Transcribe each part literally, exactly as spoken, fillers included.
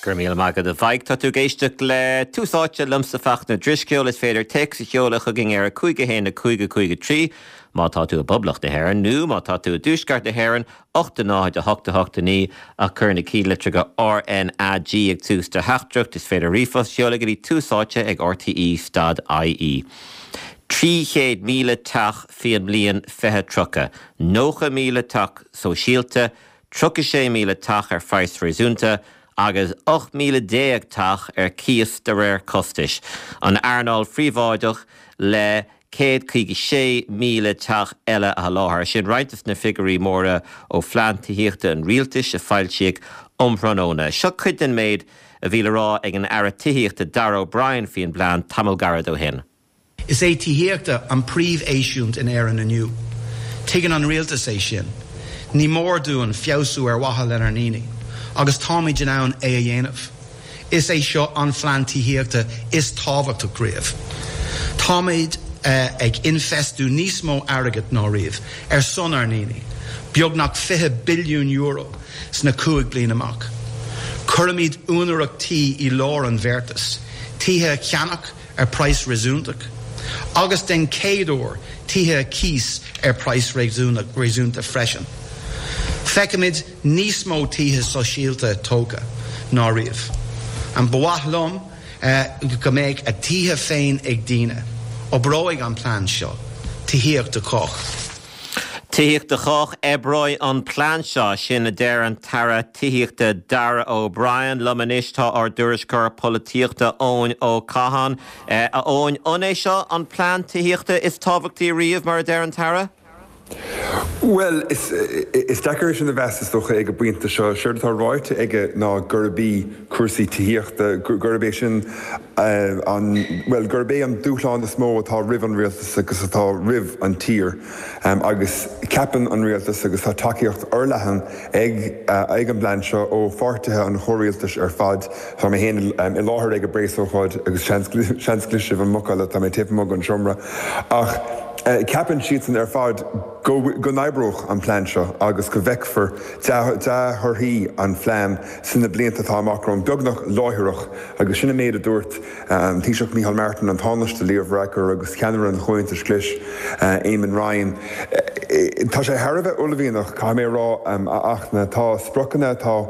Go raibh míle maith agat a Mhaidhc tá tú ag éisteacht le Tús Áite liomsa Fachtna Ó Drisceoil is féidir téacs a sheoladh chugainn ar a cúig a haon a cúig a cúig a trí má tá tú i bPoblacht na hÉireann nó má tá tú i dtuaisceart na hÉireann ocht a náid a hocht a hocht a naoi ach cuir na céadlitreacha RNAG ag tús do theachtaireacht is féidir ríomhphost a sheoladh go dtí tús áite ag RTE dot IE. Trí chéad míle teach faoin mbliain fiche tríocha, nócha míle teach sóisialta, tríocha sé míle teach ar phraghas réasúnta, agus ocht míle déag teach ar cíos de réir costais, an earnáil phríobháideach le céad caoga sé míle teach eile a sholáthar. Sin roinnt de na figiúirí móra ó phlean tithíochta an rialtais a foilsíodh um thráthnóna. Seo cuid den méid a bhí le rá ag an Aire Tithíochta Darragh O'Brien faoin bplean tamall gairid ó shin. Is é tithíochta an príomheisiúint in Éirinn inniu. Tuigeann an rialtas é sin. Ní mór dúinn feabhsú ar mhaithe lenár ndaoine, agus táimid in ann é a dhéanamh. Is é seo an phlean tithíochta is tábhachtach riamh. Táimid ag infheistiú níos mó airgid ná riamh ar son ár ndaoine, beagnach fiche billiún euro sna cúig bliana amach. Cuirimid úinéireacht tí i lár an bheartais, tithe a cheannach ar praghas réasúntach, agus den chéad uair tithe cíos ar praghas réasúnta freisin. Feicimid níos mó tithe sóisialta tógtha ná riamh. An ba mhaith liom go mbeadh a dtithe féin ag daoine. Oibreoidh an plean seo. Tithíocht do chách. Tithíocht do chách oibreoidh an plean seo, sin a deir an tAire Tithíochta Darragh O'Brien. Liom anois tá ár dtuairisceoir polaitíochta Eoin Ó Catháin. A Eoin, an é seo an plean tithíochta is tábhachtaí riamh mar a deir an tAire? Bhuel, is is deacair sin a mheas is dócha ag an bpointe seo. Séard atá ráite aige ná gurb í cúrsaí tithíochta, gurb é sin an, bhuel, gurb é an dúshlán is mó atá roimh an rialtas agus atá roimh an tír. Agus ceapann an rialtas agus tá tacaíocht fhorleathan ag ag an bplean seo ó pháirtithe an chomhrialtais ar fad. Tá mé féin i láthair ag an bpreasócáid agus seans seans go gcloisfidh sibh an mucáil tá mé taobh amuigh den seomra. Ach ceapann siadsan ar fad go go n-oibreoidh an plean seo agus go bhfeicfear dea-thorthaí an phlean sna blianta atá amach romhainn, beagnach láithreach, agus sin an méid a dúirt an Taoiseach Micheál Martin, an Tánaiste Leo Varadkar agus ceannaire an Chomhaontais Ghlais, Eamon Ryan. Tá sé thar a bheith uaillmhianach, caithfidh mé a rá, a Fhachtna. Tá spriocanna atá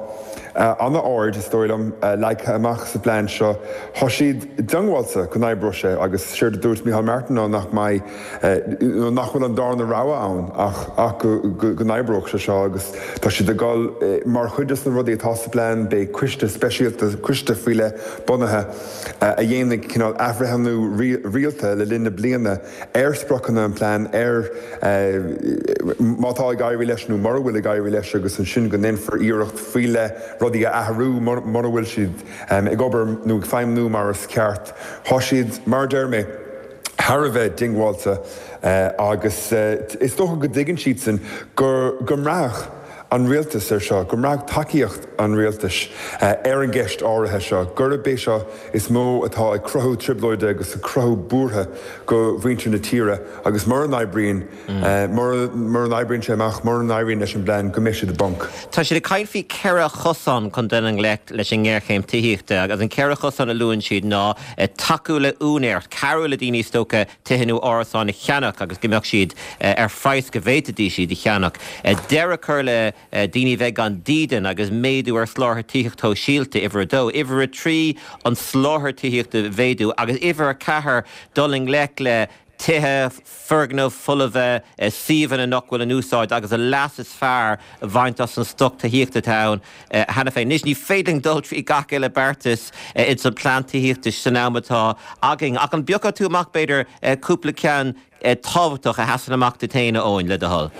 an-ard, is dóigh liom, leagtha amach sa bplean seo. Tá siad diongbháilte go n-oibreoidh sé agus séard a dúirt Micheál Martin ná nach mbeidh, nó nach bhfuil an darna rogha ann ach ach go go n-oibreoidh sé seo agus tá siad ag dul mar chuid de na rudaí atá sa bplean beidh coiste speisialta, coiste faoi leith bunaithe a dhéanfaidh cineál athbhreithniú rialta le linn na bliana ar spriocanna an plean, ar má tá ag éirí leis nó mura bhfuil ag éirí leis agus ansin go ndéanfar iarracht faoi leith rudaí a athrú mura bhfuil siad ag obair nó ag feidhmiú mar is ceart. Tá siad, mar a deir mé, thar a bheith diongbháilte agus is dócha go dtuigeann siadsan go go mbraithfeadh an rialtas ar seo, go mbraithfeadh tacaíocht an rialtais ar an gceist áirithe seo, gurb é seo is mó atá ag cruthú trioblóide agus ag cruthú buartha go mhuintir na tíre agus mura n-oibríonn, mura n-oibríonn sé amach, mura n-éiríonn leis an bplean, go mbeidh siad i bponc. Tá siad ag caint faoi ceithre chosán chun dul i ngleic leis an ngéarchéim tithíochta agus an ceithre chosán a luann siad ná tacú le úinéireacht, cabhrú le daoine is dócha tithe nó árasáin a cheannach agus go mbeadh siad ar phraghas go bhféadfaidís iad a cheannach, deireadh a chur le daoine a bheith gan dídean agus méadú ar sholáthar tithíochta shóisialta, uimhir a dó, uimhir a trí an soláthar tithíochta a mhéadú agus uimhir a ceathair dul i ngleic le tithe, foirgnimh folmha, suíomhanna nach bhfuil in úsáid agus an leas is fearr a bhaint as an stoc tithíochta atá ann cheana féin. Anois, ní féidir linn dul trí gach uile beartas ins an plean tithíochta san am atá againn, ach an bpiocfadh tú amach, b'fhéidir, cúpla ceann tábhachtach a sheasann amach duit féin, a Eoin, le do thoil?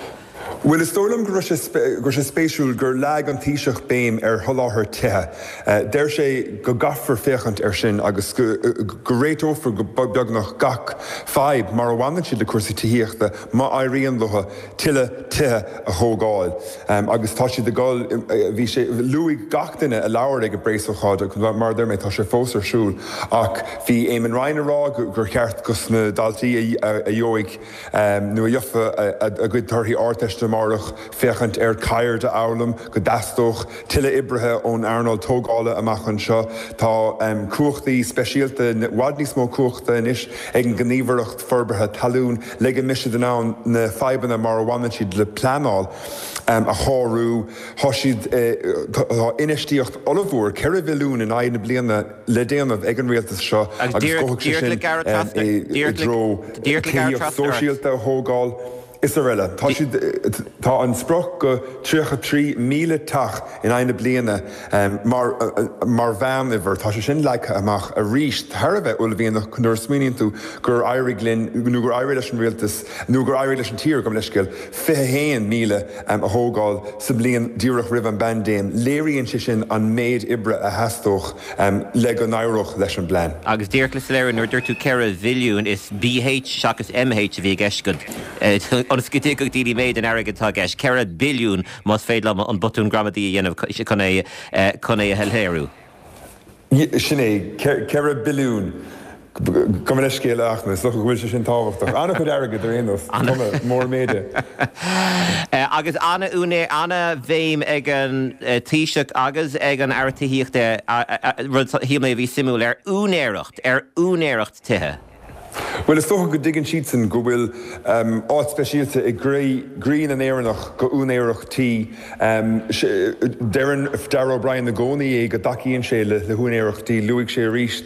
Bhuel, is dóigh liom go raibh sé go raibh sé spéisiúil gur leag an Taoiseach béim ar sholáthar tithe. Deir sé go gcaithfear féachaint air sin agus go go réiteofar go beagnach gach fadhb mar a bhaineann siad le cúrsaí tithíochta má éiríonn leo tuilleadh tithe a thógáil. Agus tá siad ag dul, bhí sé, luaigh gach duine a labhair ag an bpreasócáid agus mar a deir mé tá sé fós ar siúl ach bhí Eamon Ryan ag rá gur cheart dos na daltaí a gheobhaidh nó a gheofa a gcuid torthaí Ardteiste amárach féachaint ar ceird a fhoghlaim, go dteastódh tuilleadh oibrithe ón earnáil tógála amach anseo. Tá cumhachtaí speisialta, i bhfad níos mó cumhachta anois ag an nGníomhaireacht Forbartha Talún le go mbeidh siad in ann na fadhbanna mar a bhaineann siad le pleanáil a shárú. Tá siad tá infheistíocht ollmhór ceithre bhilliún in aghaidh na bliana le déanamh ag an rialtas seo agus gabhfaidh sé sin i dtreo tithíocht sóisialta a thógáil is araile. Tá siad tá an sprioc go tríocha trí míle teach in aghaidh na bliana mar mar mheánuimhir. Tá sé sin leagtha amach arís thar a bheith uaillmhianach nuair a smaoiníonn tú gur éirigh linn nó gur éirigh leis an rialtas nó gur éirigh leis an tír gabh mo leithscéal fiche haon míle a thógáil sa bhliain díreach roimh an bpaindéim. Léiríonn sé sin an méid oibre a theastódh le go n-éireodh leis an bplean. Agus díreach le soiléiriú, nuair a dúirt tú ceithre bhilliún, is B H seachas M H a bhí i gceist agat, ionas go dtuigfeadh daoine méid an airgid atá i gceist, ceithre billiún más féidir liom an botún gramadaí a dhéanamh chun é chun é a shoiléiriú. Sin é, ceithre billiún. Gabh mo leithscéal ach is dócha go bhfuil sé sin tábhachtach. An-chuid airgid ar aon nós, mór méide. Agus an-bhéim ag an Taoiseach agus ag an Aire Tithíochta, rud shíl mé a bhí suimiúil, ar úinéireacht, ar úinéireacht tithe. Well, is dócha go dtuigeann siadsan go bhfuil áit speisialta i gcroí na nÉireannach go úinéireacht tí. Deireann Darragh O'Brien i gcónaí é go dtacaíonn sé le húinéireacht tí, luaigh sé arís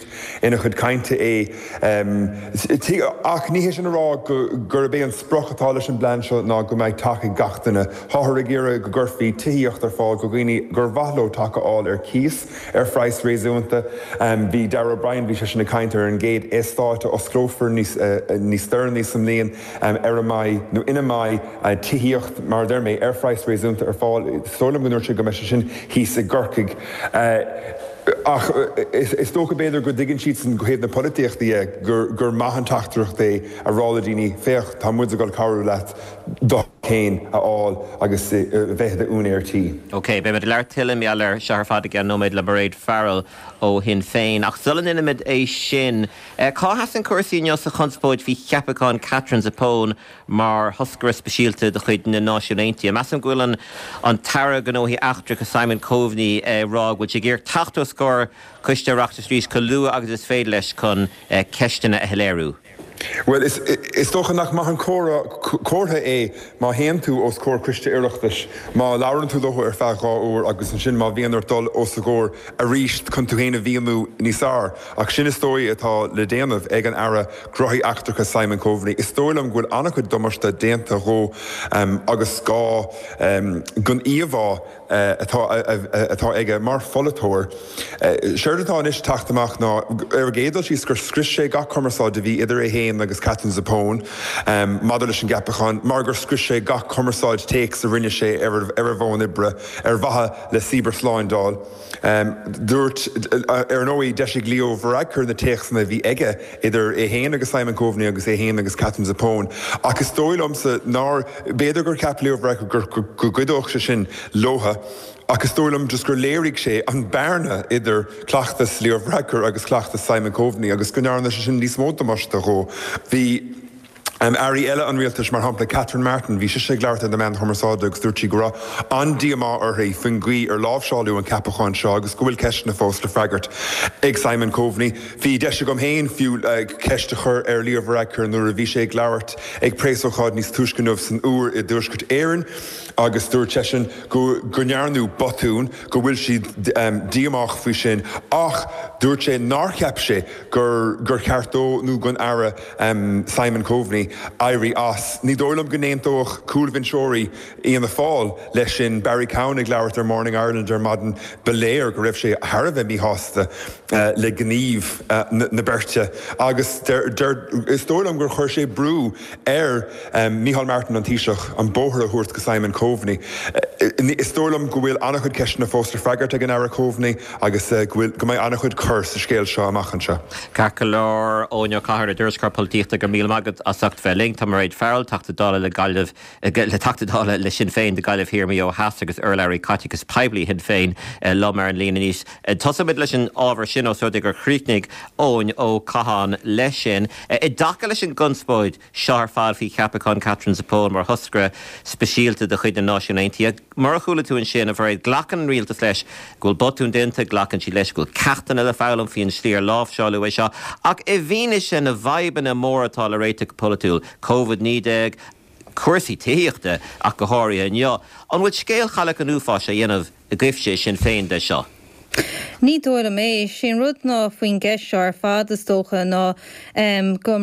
ina chuid cainte é. Ach ní hé sin a rá gurb é an sprioc atá leis an bplean seo ná go mbeidh teach ag gach duine. Táthar ag iarraidh go gcuirfí tithíocht ar fáil go dhaoine gur mhaith leo teach a fháil ar cíos ar phraghas réasúnta. Bhí Darragh O'Brien, bhí seisean ag caint ar an gcéad eastát a osclófar níos níos deireanaí sa mbliain ar a mbeidh nó ina mbeidh tithíocht mar a deir mé ar phraghas réasúnta ar fáil. Is dóigh liom go ndúirt sé go mbeidh sé sin thíos i gCorcaigh. Ach is dócha b'fhéidir go dtuigeann siadsan ó thaobh na polaitíochta de gur gur maith an teachtaireacht é a rá le daoine féach tá muid ag dul cabhrú leat do theach a fháil agus bheith i d'úinéir tí. Ok, beimid ag labhairt tuilleadh mar gheall air seo ar fad i gceann nóiméad le Mairéad Farrell ó Shinn Féin. Ach sula ndéanaimid é sin, cá sheasann cúrsaí inniu sa chonspóid faoi cheapachán Catherine Zappone mar thoscaire speisialta de chuid na Náisiún Aontaithe? Measaim go bhfuil an an tAire Gnóthaí Eachtracha Simon Coveney rá go bhfuil sé ag iarraidh teacht os comhair coiste Oireachtais arís chomh luath agus is féidir leis chun ceisteanna a shoiléiriú. Well is, is dócha nach maith an comhartha é má théann tú os comhair coiste Oireachtais, má labhrann tú leo ar feadh dhá uair agus ansin má bhíonn ort dul os a gcomhair arís chun tú féin a mhíniú níos fearr. Ach sin is dóigh atá le déanamh ag an Aire Gnóthaí Eachtracha Simon Coveney. Is dóigh liom go bhfuil an-chuid damáiste déanta dhó um, agus gá um, gon íomhá atá atá aige mar pholaiteoir. Séard atá anois teacht amach ná ar an gcéad dul síos gur scrios sé gach cumarsáid a bhí idir é féin agus Catherine Zappone um, maidir leis an gceapachán, mar gur scrios sé gach cumarsáid téacs a rinne sé ar ar a bhfón oibre ar mhaithe le cibearshlándáil. Um, dúirt ar ndóigh d'eisigh Leo Varadkar na téacsanna bhí aige idir é féin agus Simon Coveney agus é féin agus Catherine Zappone. Ach is dóigh liomsa nár b'fhéidir gur cheap Leo Varadkar gur go gcuideodh sé sin leo. Ach is dóigh liom just gur léirigh sé an bearna idir cleachtas Leo Varadkar agus cleachtas Simon Coveney agus go ndearna sé sin níos mó damáiste dhó. Bhí Um, Airí eile an rialtais mar shampla Catherine Martin, bhí sí ag labhairt ar na meáin chumarsáide agus dúirt sí go raibh an-díomá uirthi faoin gcaoi ar láimhseáladh an ceapachán seo agus go bhfuil ceisteanna fós le freagairt ag Simon Coveney. Bhí deis agam féin fiú uh, ceist a chur ar Leo Varadkar nuair a bhí sé ag labhairt ag preasócáid níos túisce inniu san Iúr i dTuaisceart Éireann agus dúirt seisean go go ndearnadh botún go bhfuil siad um, díomách faoi sin ach dúirt sé nár cheap sé gur gur cheart dó nó don Aire um, Simon Coveney éirí as. Ní dóigh liom go n-aontódh cúlbhinseoirí Fhianna Fáil leis sin Barry Cowen ag labhairt ar Morning Ireland ar maidin ba léir go raibh sé thar a bheith míshásta uh, le gníomh uh, na, na beirte agus der, der, is dóigh liom gur chuir sé brú ar um, Micheál Martin an Taoiseach an bóthar a thabhairt go Simon Coveney. Uh, Is dóigh liom go bhfuil an-chuid ceisteanna fós le freagairt ag an Aire Coveney agus go bhfuil go mbeidh an-chuid cur sa scéal seo amach anseo. Ceart go leor Eoin Ó Cathail tuairisceoir polaitíochta go míle maith agat as ucht bheith linn tá Mairéad Farrell Teachta Dála le Gaillimh le Teachta Dála le Sinn Féin do Ghaillimh Thiar Maigh Eo Theas agus urlabhraí caiteachas poiblí Shinn Féin liom ar an líne anois. Tosóimid leis an ábhar sin ó so gur chríochnaigh Eoin Ó Catháin leis sin. I dtaca leis an gconspóid seo ar fad faoi cheapachán Katherine Zappone mar thoscaire speisialta de chuid na Náisiún Aontaithe. Mar a chuala tú ansin a Mhairéad glacann an rialtas leis go bhfuil botún déanta glacann siad leis go bhfuil ceachtanna le foghlaim faoin slí ar láimhseáladh é seo, ach i bhfianaise na bhfadhbanna móra atá le réiteach polaitiúil, Covid naoi déag, cúrsaí tithíochta ach go háirithe inniu. An bhfuil scéal Chailleach an Uafáis á dhéanamh agaibhse Sinn Féin de seo? Ní dóigh liom é sin rud ná faoin gceist seo ar fad is dócha ná um, go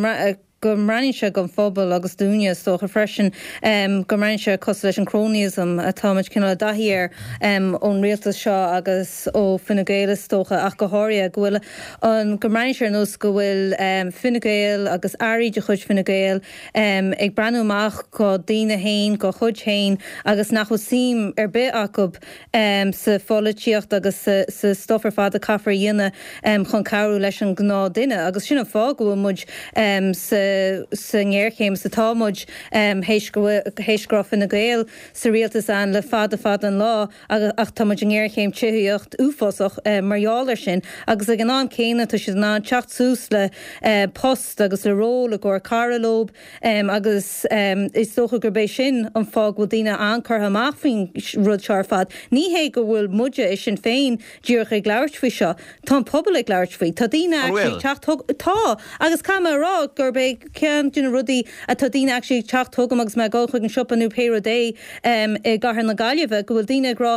go mbreathnaíonn sé don phobal agus dúinne is dócha freisin um, go mbreathnaíonn sé cosúil leis an cronyism atáimid cineál i dtaithí air um, ón rialtas seo agus ó Fine Gael is dócha ach go háirithe go bhfuil an go mbreathnaíonn sé ar nós go bhfuil um, Fine Gael agus airí de chuid Fine Gael um, ag breathnú amach do dhaoine féin dá gcuid féin agus nach bhfuil suim ar bith acu um, sa pholaitíocht agus sa, sa stuff ar fad a caithfear a dhéanamh um, chun cabhrú leis an ngnáthdhuine agus sin an fáth go bhfuil muid um, sa sa ngéarchéim sa tá muid um, théis go raibh Fine Gael sa rialtas an le fada fada an lá ach tá muid i ngéarchéim tithíocht uafásach um, mar gheall air sin agus ag an am céanna tá siad in ann teacht suas le uh, post agus le ról i gcomhair cara leo um, agus um, is dócha gurb é sin an fáth go bhfuil daoine an-churtha amach faoin rud seo ar fad. Ní hé go bhfuil muide i Sinn Féin díreach ag labhairt faoi seo. Tá an pobal ag labhairt faoi. Tá daoine teacht tá agus tá mé ag rá gurb é ceann de na rudaí atá daoine actually teacht chugam agus mé ag dul chuig an siopa nó pé rud é um, i gCathair na Gaillimhe go bhfuil daoine ag rá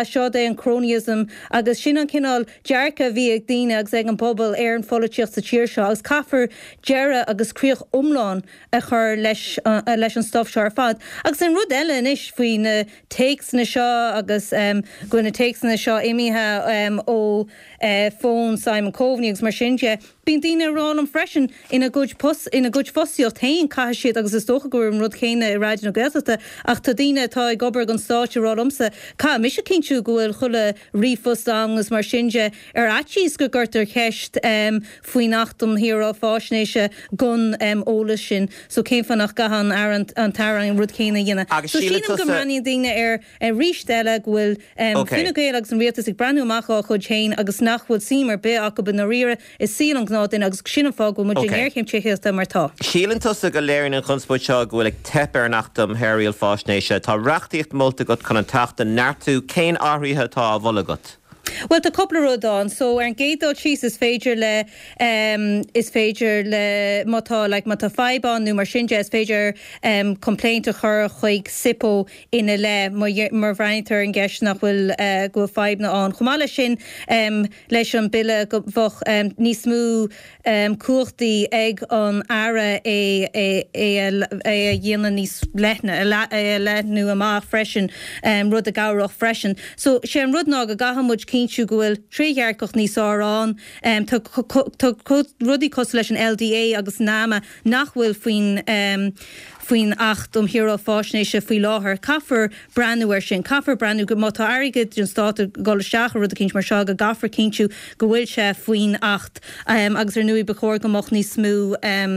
seo é an cronyism agus sin an cineál dearcadh a bhí ag daoine agus ag an bpobal ar an pholaitíocht sa tír seo agus caithfear deireadh agus críoch iomlán a chur leis uh, leis an stuff seo ar fad. Agus an rud eile anois faoi na téacsanna seo agus um, go na téacsanna seo imithe um, ó uh, fón Simon Coveney agus mar sin de. Bíonn daoine ag rá liom freisin ina gcuid post ina gcuid fostaíocht féin caithfidh siad agus is dócha go an rud céanna i Raidió na Gaeltachta ach tá daoine atá ag obair don stát ag rá liomsa caithfidh mise cinntiú go bhfuil chuile ríomhphost agus mar sin de ar fhaitíos go gcuirtear ceist um, faoin Acht um Shaoráil Faisnéise gon um, eolas sin so cén fáth nach gcaithfidh an an an tAire an rud céanna a dhéanamh. So sílim go mbreathnaíonn daoine ar arís eile go bhfuil um, okay. Fine Gael agus an rialtas ag breathnú amach dá gcuid féin agus nach bhfuil suim ar bith acu i ndáiríre i saol an ghnáthdhuine agus sin an fáth go bhfuil muid i ngéarchéim tithíochta mar tá. Síleann tusa go léiríonn an chonspóid seo go bhfuil ag teip ar an Acht um Shaoráil Faisnéise Tá reachtaíocht molta agat chun an tAcht a neartú cén athruithe atá á mholadh agat. Well tá cúpla rud ann so ar an gcéad dul síos is féidir le um, is féidir le má tá like, má tá fadhb ann nó mar sin de is féidir um, complaint a chur chuig SIPO ina leith má bhreathnaítear an gceist nach bhfuil uh, go bhfuil fadhbanna ann. Chomh maith leis sin um, leis an bille go bheadh um, níos mó um, cumhachtaí ag an Aire é é é é a dhéanamh níos leithne é a leathnú amach freisin um, rud a chabhródh freisin. So sé an rud ná go gcaithfidh muid cinntiú go bhfuil trédhearcacht níos fearr ann um, tá rudaí cosúil leis an LDA agus NAMA nach bhfuil faoin um, faoin Acht um Shaoráil Faisnéise faoi láthair. Caithfear breathnú air sin, caithfear breathnú go má tá airgead den stát ag dul isteach i rud eicínt mar seo go gcaithfear cinntiú go bhfuil sé faoin Acht um, agus ar ndóigh ba chóir go mbeadh níos mó um,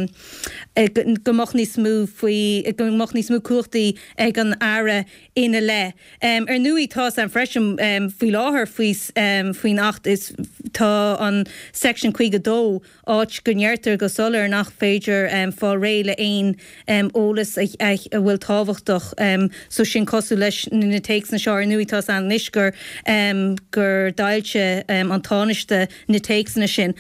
go mbeadh níos mó faoi go mbeadh níos mó cumhachtaí ag an Aire ina leith. Um, ar ndóigh tá an freisin um, faoi láthair faoi um, faoin Acht is tá an section caoga dó áit go ndeirtear go soiléir nach féidir um, fáil réidh le aon um, eolas a, a, a bhfuil tábhachtach um, so sin cosúil leis na téacsanna seo ar ndóigh tá an anois gur um, gur d'fhoilsigh um, an Tánaiste na téacsanna sin.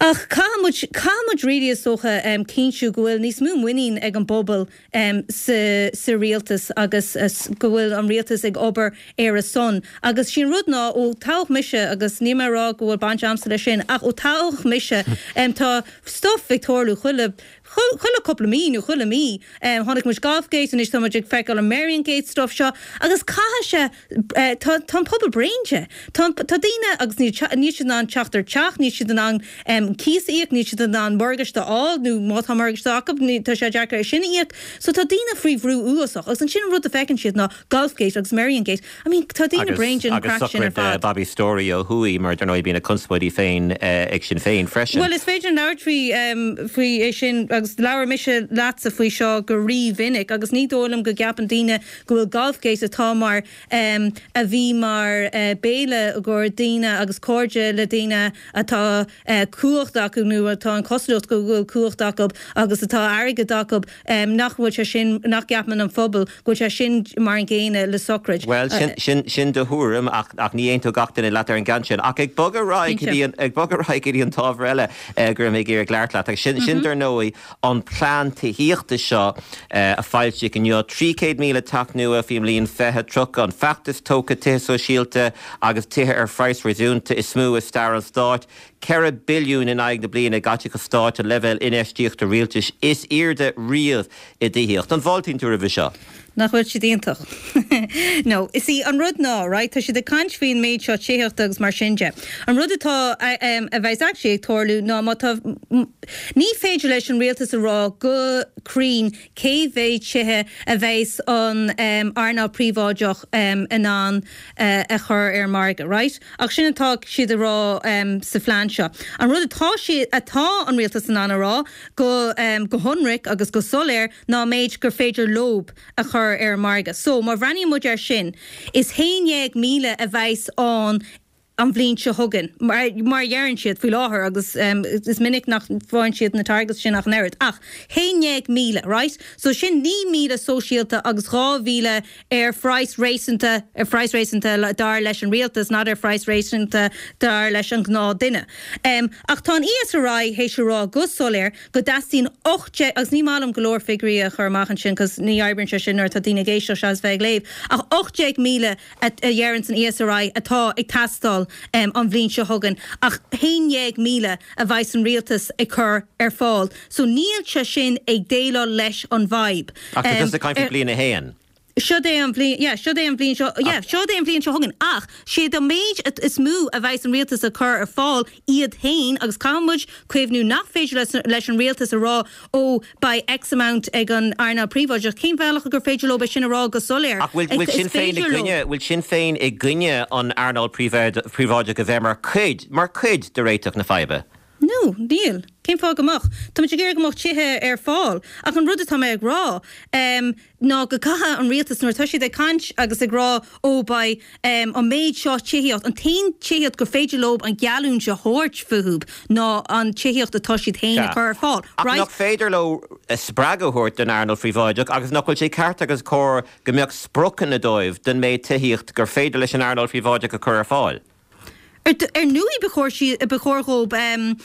Ach caithfidh caithfidh muid really is dócha um, cinntiú go bhfuil níos mó muinín ag an bpobal um, sa, sa rialtas agus uh, go bhfuil an rialtas ag obair ar a son. Agus sin rud ná ó toghadh mise agus ní mé rá go bhfuil baint agamsa leis sin ach ó toghadh mise um, tá stuff ag tarlú chuile Chuile cúpla mí nó chuile mí chonaic muid Golfgate anois tá muid ag feiceáil an Merrion stuff seo agus caithfidh sé tá an pobal bréan de. Tá daoine agus níl siad in ann teacht ar teach, níl siad in ann cíos a íoc, níl siad in ann morgáiste a fháil nó má tá morgáiste acu tá sé deacair é sin a íoc. So tá daoine faoi bhrú uafásach agus ansin an rud a feiceann siad ná Golfgate agus Merrion Gate. I mean tá daoine bréan den craic sin ar fad. Bobby Storey ó thuaidh mar dar ndóigh bíonn a conspóidí féin ag Sinn Féin freisin. Well is féidir labhairt faoi faoi é sin agus labhair mise leatsa faoi seo go rímhinic agus ní dóigh liom go gceapann daoine go bhfuil Golfgate atá mar um, a bhí mar uh, béile gur daoine agus cairde le daoine atá uh, cumhacht acu nó atá an chosúlacht go bhfuil cumhacht acu agus atá airgead acu um, nach bhfuil sé sin nach gceapann an phobal go bhfuil sé sin mar an gcéanna le sochraid. Well sin, sin, sin do thuairim ach, ach ní aontódh gach duine leat ar an gceann sin ach ag bogadh ar aghaidh ag bogadh ar aghaidh go dtí an t-ábhar eile uh, gur mé ag labhairt leat ach sin, mm -hmm. sin dar ndóigh an plean tithíochta seo uh, a foilsíodh inniu trí chéad míle teach nua faoin mbliain fiche tríocha an feachtas tógtha tithe sóisialta agus tithe ar phraghas réasúnta is mó i stair an stáit, Ceithre billiún in aghaidh na bliana caiteachas stáit an leibhéal infheistíochta rialtais is airde riamh i dtithíocht. An bhfáiltíonn tú roimhe seo? Nach bhfuil siad iontach. No, is í an rud ná, right, tá siad ag caint faoin méid seo tithíochta agus mar sin de. An rud atá a bheas actually ag tarlú ná má tá ní féidir leis an rialtas a rá go cruinn cé mhéad tithe a bheas an um, earnáil príobháideach um, in ann uh, a chur ar an margadh, right? Ach sin atá siad a rá um, sa phlean seo. An rud atá si atá an rialtas in ann a rá go um, go hionraic agus go soiléir ná méid gur féidir leo a chur ar an margadh. So má bhreathnaíonn muid air sin, is haon déag míle a bheas ann an bhliain seo chugainn mar mar dheireann siad faoi láthair agus um, is minic nach bhfaigheann siad na targets sin ach an oiread. Ach haon déag míle, right? So sin naoi míle sóisialta agus dhá mhíle ar phraghas réasúnta ar phraghas réasúnta dar leis an rialtas, not ar phraghas réasúnta dar leis an ngnáthdhuine. Um, ach tá an ESRI théis a rá go soiléir go dteastaíonn ocht agus ní maith liom go leor figiúirí a chur amach ansin cos ní oibríonn sé sin nuair atá daoine ag éisteacht seachas bheith ag léamh. Ach ocht déag míle a dheireann an ESRI atá ag teastáil um, an bhliain seo chugainn ach haon déag míle a bheas an rialtas ag cur ar fáil. So níl sé sin ag déileáil leis an bhfadhb. Ach um, caint bliain a haon. Seo é an bhliain yeah, seo é an bhliain seo yeah, seo é an bhliain seo chugainn ach sé an méid is mó a bheas an rialtas a chur ar fáil iad féin agus caithfimid cuimhneamh nach féidir leis, leis an rialtas a rá ó beidh X amount ag an earnáil príobháideach cén bhealach gur féidir leo sin a rá go soiléir. Ach bhfuil Sinn Féin i gcoinne bhfuil Sinn Féin i gcoinne an earnáil príobháideach a bheith mar chuid mar chuid de réiteach na faidhbe. No, níl. Cén fáth go mbeadh? Tá muid ag iarraidh go mbeadh tithe ar fáil ach an rud atá mé ag rá um, ná go gcaithfidh an rialtas nuair atá siad ag caint agus ag rá ó beidh um, an méid seo tithíocht an t-aon tithíocht gur féidir leo an geallúint a thabhairt fúthu ná an tithíocht atá siad féin ag cur ar fáil. Right? Nach féidir leo spreagadh a thabhairt don earnáil phríobháideach agus nach bhfuil sé ceart agus cóir go mbeadh spriocanna dóibh den méid tithíocht gur féidir leis an earnáil phríobháideach a chur ar fáil. Ar ndóigh ba chóir dhóibh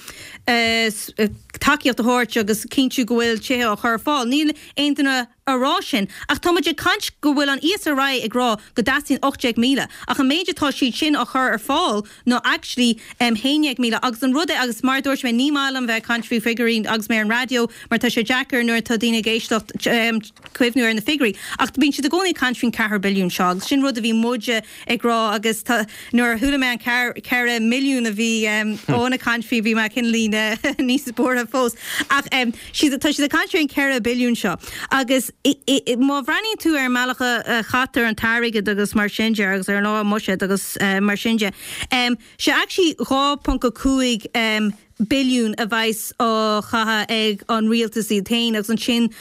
tacaíocht a thabhairt agus cinntiú go bhfuil tithe á chur ar fáil. Níl aon duine a rá sin. Ach tá muid ag caint go bhfuil an ESRI ag rá go dteastaíonn ocht déag míle. Ach an méid atá siad sin á chur ar fáil ná actually um, haon déag míle. Agus an rud é agus mar dúirt mé ní maith liom bheith ag caint faoi figiúirí agus mé ar an raidió mar tá sé deacair nuair atá daoine ag éisteacht um, cuimhneamh ar na figiúirí. Ach bíonn siad i gcónaí ag caint faoin ceathair billiún seo agus sin rud a bhí muide ag rá agus nuair a chuala mé an ceithre milliún a bhí um, ag caint faoi bhí mé cineál níos buartha fós. Ach um, tá siad ag caint faoin ceithre billiún seo. Agus má bhreathnaíonn tú ar an mbealach a chaitear an t-airgead agus mar sin de agus ar an lá buiséad agus uh, mar sin de. Um, sé actually dhá ponc a cúig um, billiún a bheas á chaitheamh ag an rialtas iad féin agus ansin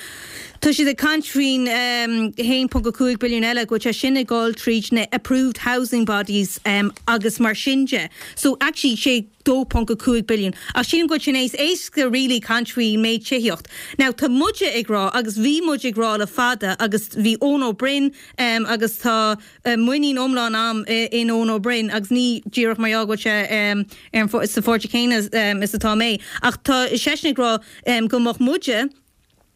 tá siad ag caint faoin um, haon ponc a cúig billiún eile go sé sin ag dul tríd na approved housing bodies um, agus mar sin de. So actually sé dó ponc a cúig billiún. Ach sin go sin éis éasca really caint faoin méid tithíocht. Now tá muide ag rá agus bhí muid ag rá le fada agus bhí Eoin Ó Broin um, agus tá uh, muinín iomlán agam in Eoin Ó Broin agus ní díreach mar go sé um, ar sa pháirtí céanna um, is atá mé. Ach tá seisean ag rá um, go mbeadh muide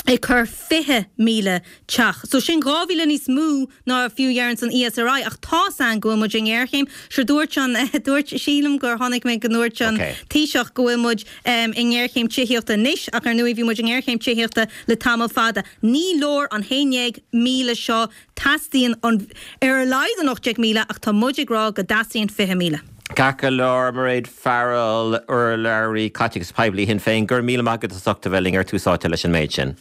ag cur fiche míle teach. So sin dhá mhíle níos mó ná fiú deireann an ESRI ach tá an go bhfuil muid i ngéarchéim sure dúirt an dúirt sílim gur tháinig mé go ndúirt an okay. Taoiseach go bhfuil muid um, i ngéarchéim tithíochta anois ach ar ndóigh bhí muid i ngéarchéim tithíochta le tamall fada. Ní leor an haon déag míle seo teastaíonn an ar a laghad an ocht déag míle ach tá muid ag rá go dteastaíonn fiche míle. Ceart go leor Mairéad Farrell urlabhraí caiteachas poiblí Shinn Féin gur míle maith agat as ucht a bheith linn ar Tús Áite leis an méid sin.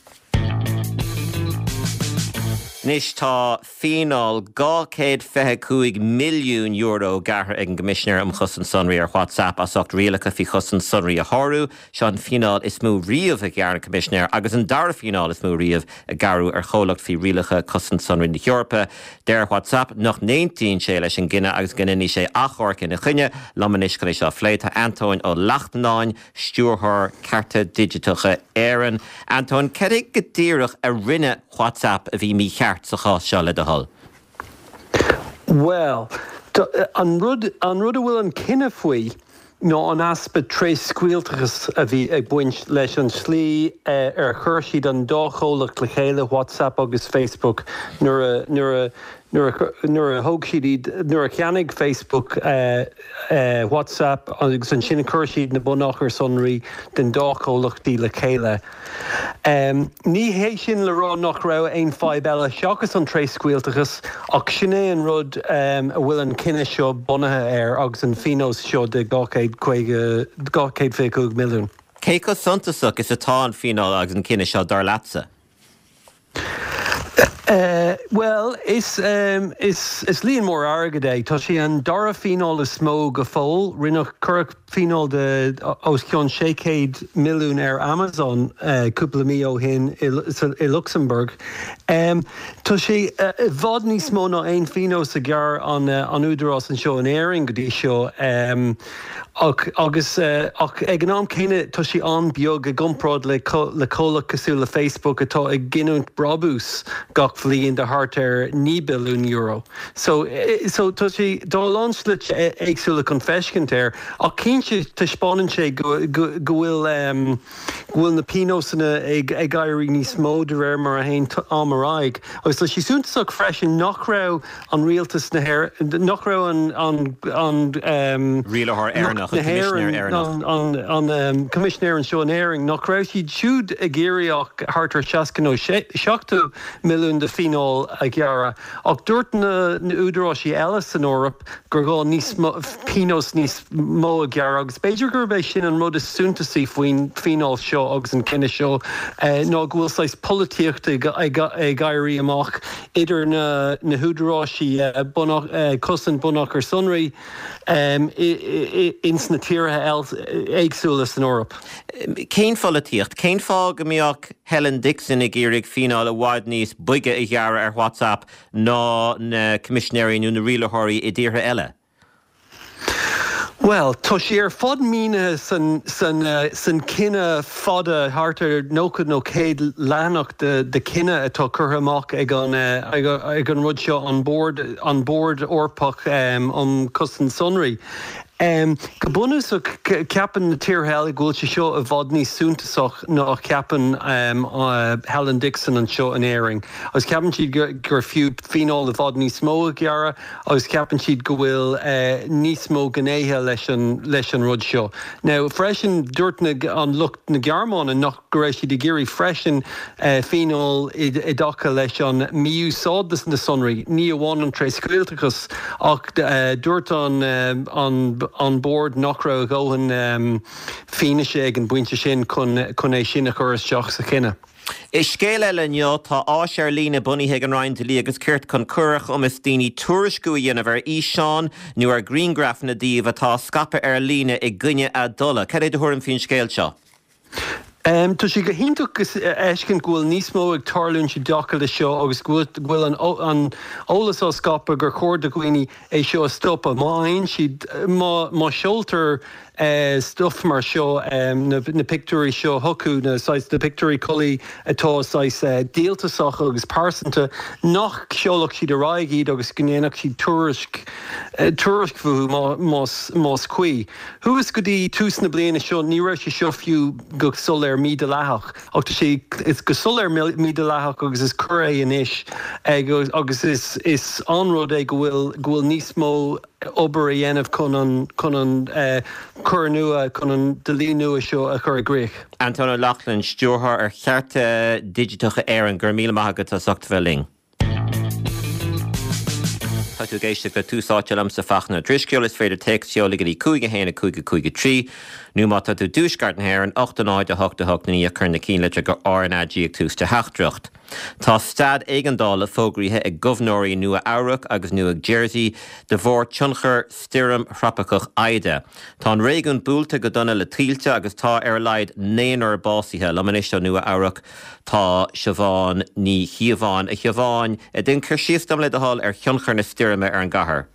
Anois tá fíneáil dhá chéad fiche cúig milliún euro gearrtha ag an gCoimisinéir um Chosaint Sonraí ar WhatsApp as ucht rialacha faoi chosaint sonraí a shárú, seo an fíneáil is mó riamh a ghearr an Coimisinéir agus an dara fíneáil is mó riamh a gearradh ar chomhlacht faoi rialacha cosaint sonraí na hEorpa. Deir WhatsApp nach n-aontaíonn sé leis an gcinneadh agus go ndéanfaidh sé achomharc ina choinne liom anois chun é seo a phlé tá Antóin Ó Lachtnáin, stiúrthóir Cearta Digiteacha Éireann. Antóin cad é go díreach a rinne WhatsApp a bhí mícheart sa chás seo le do thoil. Well, an rud an rud a bhfuil an cinneadh faoi ná an easpa tréscaoilteachas a bhí ag baint leis an slí eh, ar chuir siad an dá chomhlacht le chéile WhatsApp agus Facebook nuair a nuair a nuair a thóg siad iad nuair a cheannaigh Facebook uh, uh, WhatsApp agus ansin chuir siad na bunachair sonraí den dá chomhlachtaí le chéile. Um, ní hé sin le rá nach raibh aon fadhb eile seachas an tréscaoilteachas ach sin é an rud um, a bhfuil an cinneadh seo bunaithe air agus an fínos seo de dhá chéad fiche milliún. Cé chomh suntasach is atá an fíneáil agus an cinneadh seo dar leatsa? Uh, well is, um, is, is líon mór airgid é Tá sé an dara fíneáil is mó go fóill rinne cuireadh fíneáil de os cionn sé chéad milliún ar Amazon uh, cúpla mí ó shin i, i Luxembourg. Um, tá sé uh, i bhfad níos mó ná aon phíonós a ghearr an, uh, an údarás anseo in Éirinn go dtí seo um, ach, agus uh, ach ag an am céanna tá sé an-bheag i gcomparáid le co le comhlacht cosúil le Facebook atá ag giniúint brabús gach bhliain de thart ar naoi billiún euro. So, eh, so tá sé dá lánslite éagsúla chun feiscint air ach cinnte taispeánann sé go bhfuil um, go bhfuil na pionósanna ag ag éirí níos mó de réir mar a théann am ar aghaidh. Agus tá sé suntasach freisin nach raibh an rialtas na nach raibh an an an um, Rialaitheoir Éireannach an an um, Coimisinéir anseo in Éirinn nach raibh siad siúd ag iarraidh ach thart ar seasca nó seachtó milliún de fíneáil a ghearradh. Ach dúirt na na údaráisí eile san Eoraip gur gá níos pionós níos mó a ghearradh agus b'fhéidir gurb é sin an rud is suntasaí faoin fíneáil seo agus an cinneadh seo eh, ná go bhfuil saghas polaitíochta ag éirí amach idir na na húdaráisí eh, eh, cosaint bunachar sonraí um, ins na tíortha éagsúla san Eoraip. Cén pholaitíocht, cén fáth go mbeadh Helen Dixon ag iarraidh fíneáil i bhfad níos boige a ghearradh ar WhatsApp ná na coimisinéirí nó na rialaitheoirí i dtíortha eile? Well, tá sé ar fad mínithe san, san, uh, san cinneadh fada thart ar nócha nó céad leathanach de, de cinneadh atá curtha amach ag an, uh, ag, ag an rud seo an bord an bord Eorpach um, um chosaint sonraí. Um, go bunúsach ceapann na tíortha eile go bhfuil sé seo i bhfad níos suntasach ná ceapann um, uh, Helen Dixon anseo in Éirinn. Agus ceapann siad gur, gur fiú fíneáil i bhfad níos mó a ghearradh agus ceapann siad go bhfuil uh, níos mó gnéithe leis an, leis an rud seo. Now freisin dúirt na, an lucht na Gearmáine nach go raibh siad ag iarraidh freisin uh, fíneáil i, i dtaca leis an mí-úsáid na sonraí, ní amháin an tréscaoilteachas ach uh, dúirt an, uh, an an bord nach raibh a dhóthain um, fianaise ag an bpointe sin chun chun é sin a chur isteach sa chinneadh. I scéal eile inniu tá áis ar líne bunaithe ag an Roinn Dlí agus Cirt chun cur ar chumas daoine tuairisciú a dhéanamh ar fhíseáin nó ar ghrianghrafanna díobh atá scaipthe ar líne i gcoinne a dtola. Cad é do thuairim faoin scéal seo? Um, tá sé go hiontach fheiscint go bhfuil níos mó ag tarlúint i dtaca le seo agus go bhfuil an, an eolas á scaipeadh gur chóir do dhaoine é seo a stopadh. Má aon siad má, má seoltar stuff mar seo na, na pictiúirí seo chucu na saghas na pictiúirí collaí atá saghas díoltasach agus pearsanta nach seolfadh siad ar aghaidh iad agus go ndéanfadh siad tuairisc tuairisc fúthu más más cuí. Thuas go dtí tús na bliana seo ní raibh sé seo fiú go soiléir mídhleathach ach tá sé is go soiléir mídhleathach agus is coir é anois agus is is an-rud é go bhfuil go bhfuil níos mó obair a dhéanamh chun an chun an uh, cur nua chun an dlí nua seo a chur i gcrích. Antóin Ó Lochlainn stiúrthóir ar Chearta Digiteacha Éireann gur míle maith agat as ucht bheith linn. Tá tú ag éisteacht le Tús Áite liomsa Fachtna Ó Drisceoil is féidir téacs a sheoladh go dtí cúig a haon a cúig a cúig a trí nó má tá tú i dtuaisceart na hÉireann ocht a náid a hocht a hocht naoi cuir na cinnlitreacha RnaG ag tús do theachtaireacht. Tá staid éigeandála fógraithe ag gobharnóirí Nua Eabhrac agus Nua Jersey de bharr tionchar stoirm thrópaiceach Ida. Tá an réigiún buailte go dona le tuilte agus tá ar a laghad naonúr básaithe liom anois ó Nua Eabhrac tá Siobhán Ní Chíobháin a Shiobháin déan cur síos dom le do thoil ar thionchar na stoirme ar an gcathair.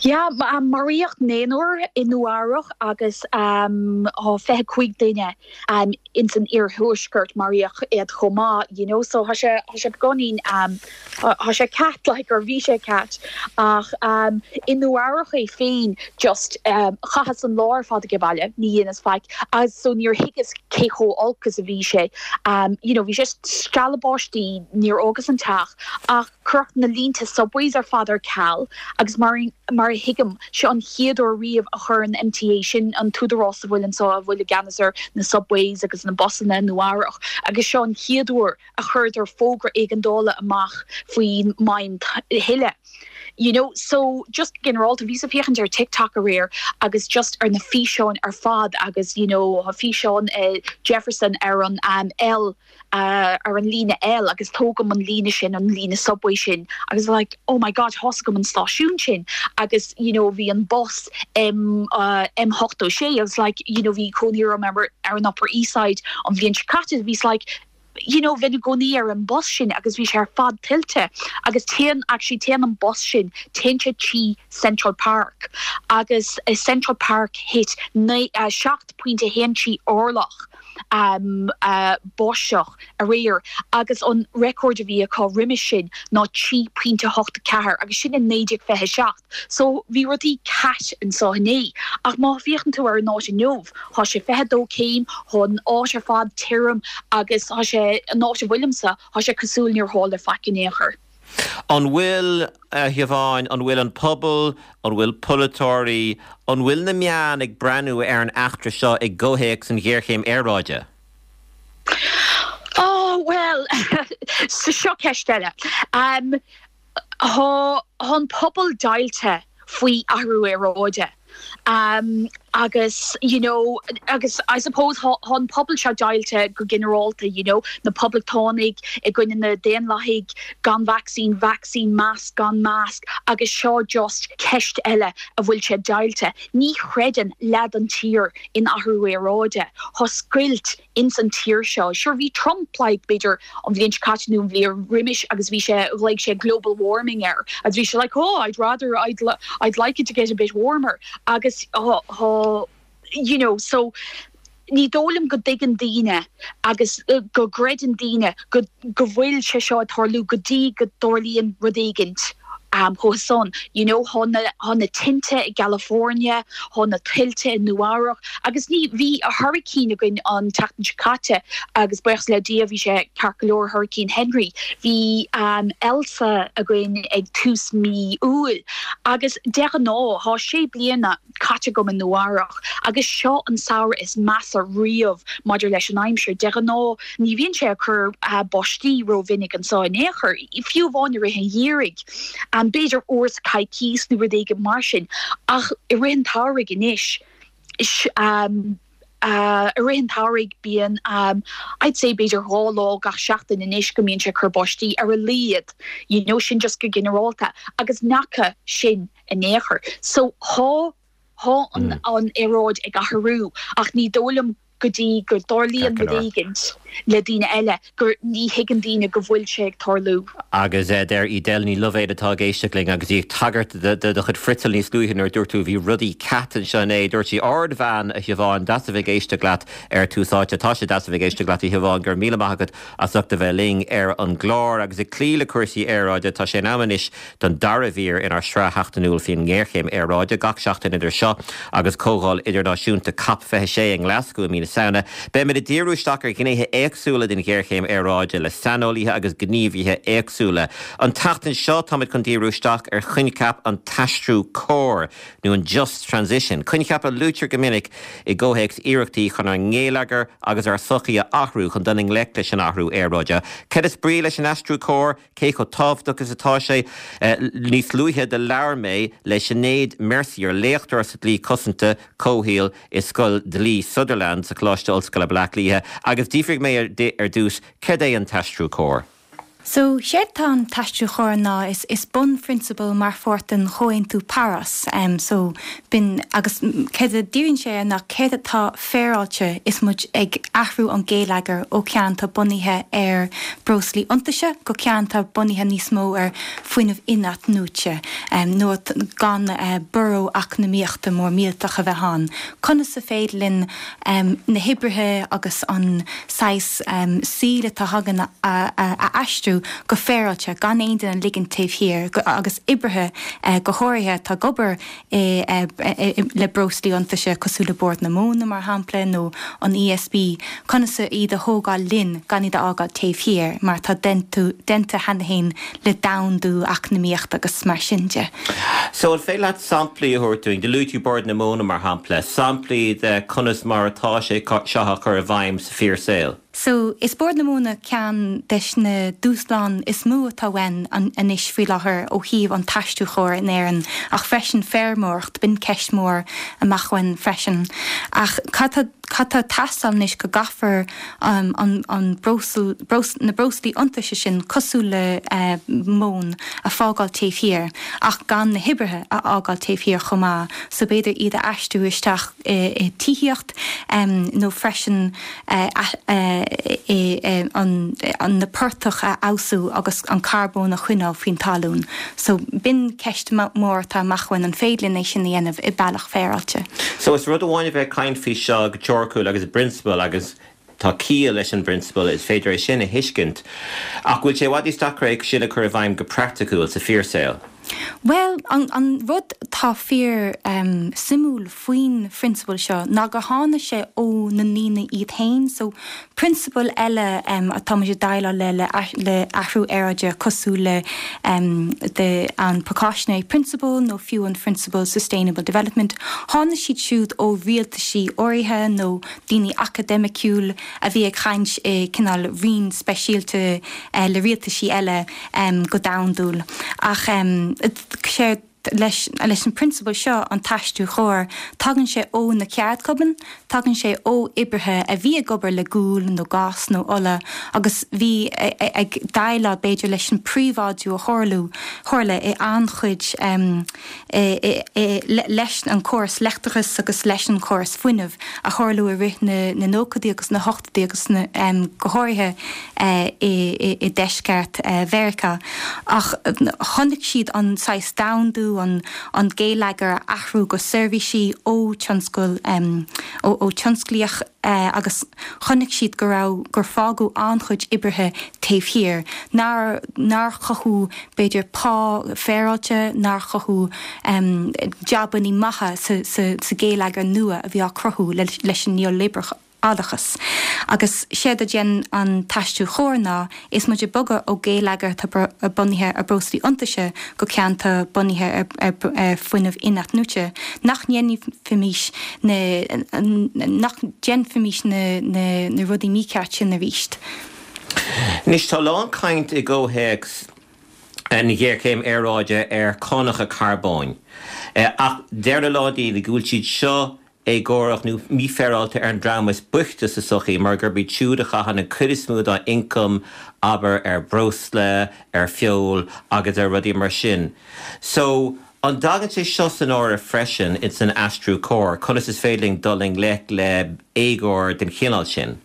Ja, maraíodh naonúr i Nua Eabhrac agus um, fiche cúig duine um, ins an iarthuaisceart maraíodh iad chomh maith, you know, so tá sé sé beagáinín um, tá sé cat like gur bhí sé cat ach um, i Nua Eabhrac é féin just um, chaitheas an lá ar fad ag baile ní dhéanas faic agus so níor thuigeas cé chomh holc is a bhí sé um, you know, bhí sé stealladh báistí níor fhágas an teach ach cuireadh na línte subways ar fad ar ceal agus mar mar a thuigim seo an chéad uair riamh a chuir an MTA sin an t-údarás a bhfuil anseo a bhfuil i gceannas ar na subways agus na busanna Nua Eabhrac agus seo an chéad uair a chuireadar fógra éigeandála amach faoin maidhm thuile. You know, so just ginearálta bhí ag féachaint ar TikTok aréir agus just ar na físeáin ar fad agus you know, físeán uh, Jefferson ar an um, L uh, ar an líne L agus tógaim an líne sin an líne subway sin agus like oh my god tógaim an stáisiún sin agus you know bhí an bus M uh, M ochtó sé agus like you know bhí cónaí orm ar an Upper East Side an bhliain seo caite bhí like you know bheinn i gcónaí ar an bus sin agus bhí sé ar fad tuilte agus téann actually téann an bus sin téann sé trí Central Park agus i Central Park thit uh, seacht pointe haon trí orlach um, uh, báisteach aréir agus an record a bhí acu roimhe sin ná trí pointe hocht ceathair agus sin in naoi déag fiche seacht. So bhí rudaí cat anseo inné ach má féachann tú ar an áit inniu, Tá sé fiche dó céim tá an áit ar fad tirim agus tá sé an áit a bhfuilimse tá sé cosúil níor tharla faic in aon chor. An bhfuil a Shiobháin, an bhfuil an pobal, an bhfuil polaiteoirí, an bhfuil na meáin ag breathnú ar an eachtra seo i gcomhthéacs an ghéarchéim aeráide? Oh well sa seo ceist eile. Um, Tá an pobal deighilte faoi athrú aeráide. Um, agus you know agus I suppose tá an pobal seo deighilte go ginearálta you know na poblachtánaigh i gcoinne na daonlathaigh gan vaccine vaccine mask gan mask agus seo just ceist eile a bhfuil sé deighilte. Ní chreideann leath den tír in athrú aeráide. Tá scoilt ins an tír seo. Sure bhí Trump like b'fhéidir an bhliain seo caite nó an bhliain roimis agus bhí sé like sé global warming air. Agus bhí sé like oh I'd rather I'd, I'd like it to get a bit warmer agus oh, oh, you know so ní dóigh liom go dtuigeann daoine agus uh, go gcreideann daoine go go bhfuil sé seo ag tarlú go dtí go dtarlaíonn rud éigint um chomh you know tá na tá na tinte i California tá na tuilte i Nua Eabhrac agus ní bhí a hurricane againn an tseachtain seo caite agus buíochas le Dia bhí sé ceart go leor Hurricane Henry bhí um Elsa againn ag tús mí Iúil agus de ghnáth tá sé bliana caite agam i Nua Eabhrac agus seo an samhradh is measa riamh maidir leis an aimsir de ghnáth ní bhíonn sé ag cur uh, báistí rómhinic anseo in aon chor fiú amháin i rith an gheimhridh an b'fhéidir uair sa choicís nó rud éigin mar sin ach i rith an tsamhraidh anois um, uh, i rith an tsamhraidh bíonn um, I'd say b'fhéidir dhá lá gach seachtain anois go mbíonn sé cur báistí ar a laghad you know sin just go ginearálta agus nach sin in aon chor so tá tá an, mm. an aeráid ag athrú ach ní dóigh liom go dtí go dtarlaíonn rud éigin. le daoine eile gur ní thuigeann daoine go bhfuil sé ag tarlú. Agus eh, deir Edel Ní Loibhéad atá ag éisteacht linn agus í ag tagairt do do chuid friotal níos luaithe nuair dúirt tú bhí rudaí cat anseo inné dúirt sí ardbhean a Shiobhán deas a bheith ag éisteacht leat ar Tús Áite tá sé deas a bheith ag éisteacht leat a Shiobhán gur míle maith agat as ucht a bheith linn ar an gclár agus ag cloí le cúrsaí aeráide tá sé in am anois don dara mhír inár sraith sheachtainiúil faoin ngéarchéim aeráide gach seachtain idir seo agus comhdháil idirnáisiúnta COP fiche sé i nGlaschú i mí na Samhna. Beimid ag díriú isteach ar ghnéithe éagsúla den ghéarchéim aeráide le saineolaithe agus gníomhaithe éagsúla. An tseachtain seo táimid chun díriú isteach ar choincheap an t-aistriú cóir nó an just transition. Coincheap a luaitear go minic i gcomhthéacs iarrachtaí chun ár ngeilleagar agus ár sochaí a athrú chun dul i ngleic leis an athrú aeráide. Cad is brí leis an aistriú cóir cé chomh tábhachtach is atá sé eh, níos luaithe do labhair mé le Sinéad Mercier léachtóir sa dlí cosanta comhshaoil i Scoil Dlí Sutherland sa Choláiste Ollscoile Baile Átha Cliath agus d'fhiafraigh mé ar dtús cad é an t-aistriú cóir. So séard tá an t-aistriú cóir ná is is bunphrionsabal mar pháirt den Chomhaontú Páras um, so b'in agus céard a dhíríonn sé ná céard atá féaráilte is muid ag athrú an geilleagar ó cheann atá bunaithe ar breoslaí iontaise go ceann atá bunaithe níos mó ar fuinneamh in-athnuaite um, nó gan uh, borradh eacnamaíochta mór millteach a bheith ann. Conas is féidir linn um, na hoibrithe agus an saghas um, saoil atá againn a, a, a, a aistriú go féaráilte gan aon duine a ligean taobh thiar agus oibrithe eh, go háirithe tá ag obair eh, eh, le breoslaí iontaise cosúil le Bord na Móna mar shampla nó an ESB conas iad a thógáil linn gan iad a fhágáil taobh thiar mar tá déanta cheana féin le domhandú eacnamaíocht agus mar sin de. So an féidir leat samplaí a thabhairt dúinn, luaigh tú Bord na Móna mar shampla, samplaí de conas mar atá sé seo á chur i bhfeidhm sa fíorshaol. So is Bord na Móna ceann des na dúshláin is mó atá ann anois faoi láthair ó thaobh an t-aistriú cóir in Éirinn ach freisin feirmeoireacht b'in ceist mór amach uainn freisin. Ach cad tá ag teastáil anois go gcaithfear um, an, an breosla, breos, na breoslaí iontaise sin cosúil le uh, móin a fhágáil taobh thiar ach gan na hoibrithe a fhágáil taobh thiar chomh maith, so b'fhéidir iad a aistriú isteach i, i tithíocht um, nó freisin uh, uh, an, an na portaigh a fheabhsú agus an carbón a choinneáil faoin talún. So b'in ceist mór atá amach uainn an féidir linn é sin a dhéanamh i bealach féaráilte. So is rud amháin a bheith ag caint faoi seo go teoiriciúil agus prionsabal agus tá ciall leis an bprionsabal is féidir é sin a thuiscint. Ach bhfuil sé i bhfad níos deacra é sin a chur i bhfeidhm go praiticiúil sa fíorshaol. Well an, an rud tá fíor um, suimiúil faoin phrionsabal seo ná gur tháinig sé ó na ndaoine iad féin, so prionsabal eile um, atá muid déileáil le le, le athrú aeráide cosúil le um, de, an precautionary principle nó fiú an principle sustainable development, tháinig siad siúd ó rialtaisí áirithe nó daoine académiciúil a bhí ag caint i cineál raon speisialta uh, le rialtaisí eile um, go domhandúil. Ach um, sé leis, leis an prionsabal seo an t-aistriú cóir, tagann sé ó na ceardchumainn, tagann sé ó oibrithe a bhí ag obair le gual nó gás nó ola, agus bhí ag déileáil b'fhéidir leis an príobháidiú a tharlú tharla i an-chuid um, e, e, e, leis an córas leictreachais agus leis an córas fuinnimh a tharla i rith na, na nóchaidí agus na hochtóidí agus na, um, go háirithe uh, i, i, i deisceart uh, Mheiriceá. Ach chonaic siad an saghas domhandú an, an geilleagar athrú go seirbhísí ó tionscal um, ó, ó tionsclaíoch uh, agus chonaic siad go raibh gur fágadh an-chuid oibrithe taobh thiar, nár nár chothú b'fhéidir pá féaráilte nár chothú um, jabanna maithe sa, sa, sa geilleagar nua a bhí á cruthú le, leis an neoliberálachas. Agus séard a dhéan an t-aistriú cóir ná is muid ag bogadh ó geilleagar bunaithe ar breoslaí iontaise go ceann atá bunaithe ar, ar, ar fuinneamh in-athnuaite. Nach ndéanfaimis nach ndéanfaimis na, na, na rudaí mícheart sin arís. Anois tá lán caint i gcomhthéacs an ghéarchéim aeráide ar cánacha carbóin. Ach deir a lán daoine go bhfuil siad seo éagórach nó mífhéaráilte ar an dream is boichte sa sochaí mar gurb iad siúd a chaitheann an chuid is mó dá ioncam abair ar breosla, ar fheoil agus ar rudaí mar sin. So an dtagann sé seo san áireamh freisin ins an aistriú cóir, conas is féidir linn dul i ngleic le éagóir den chineál sin.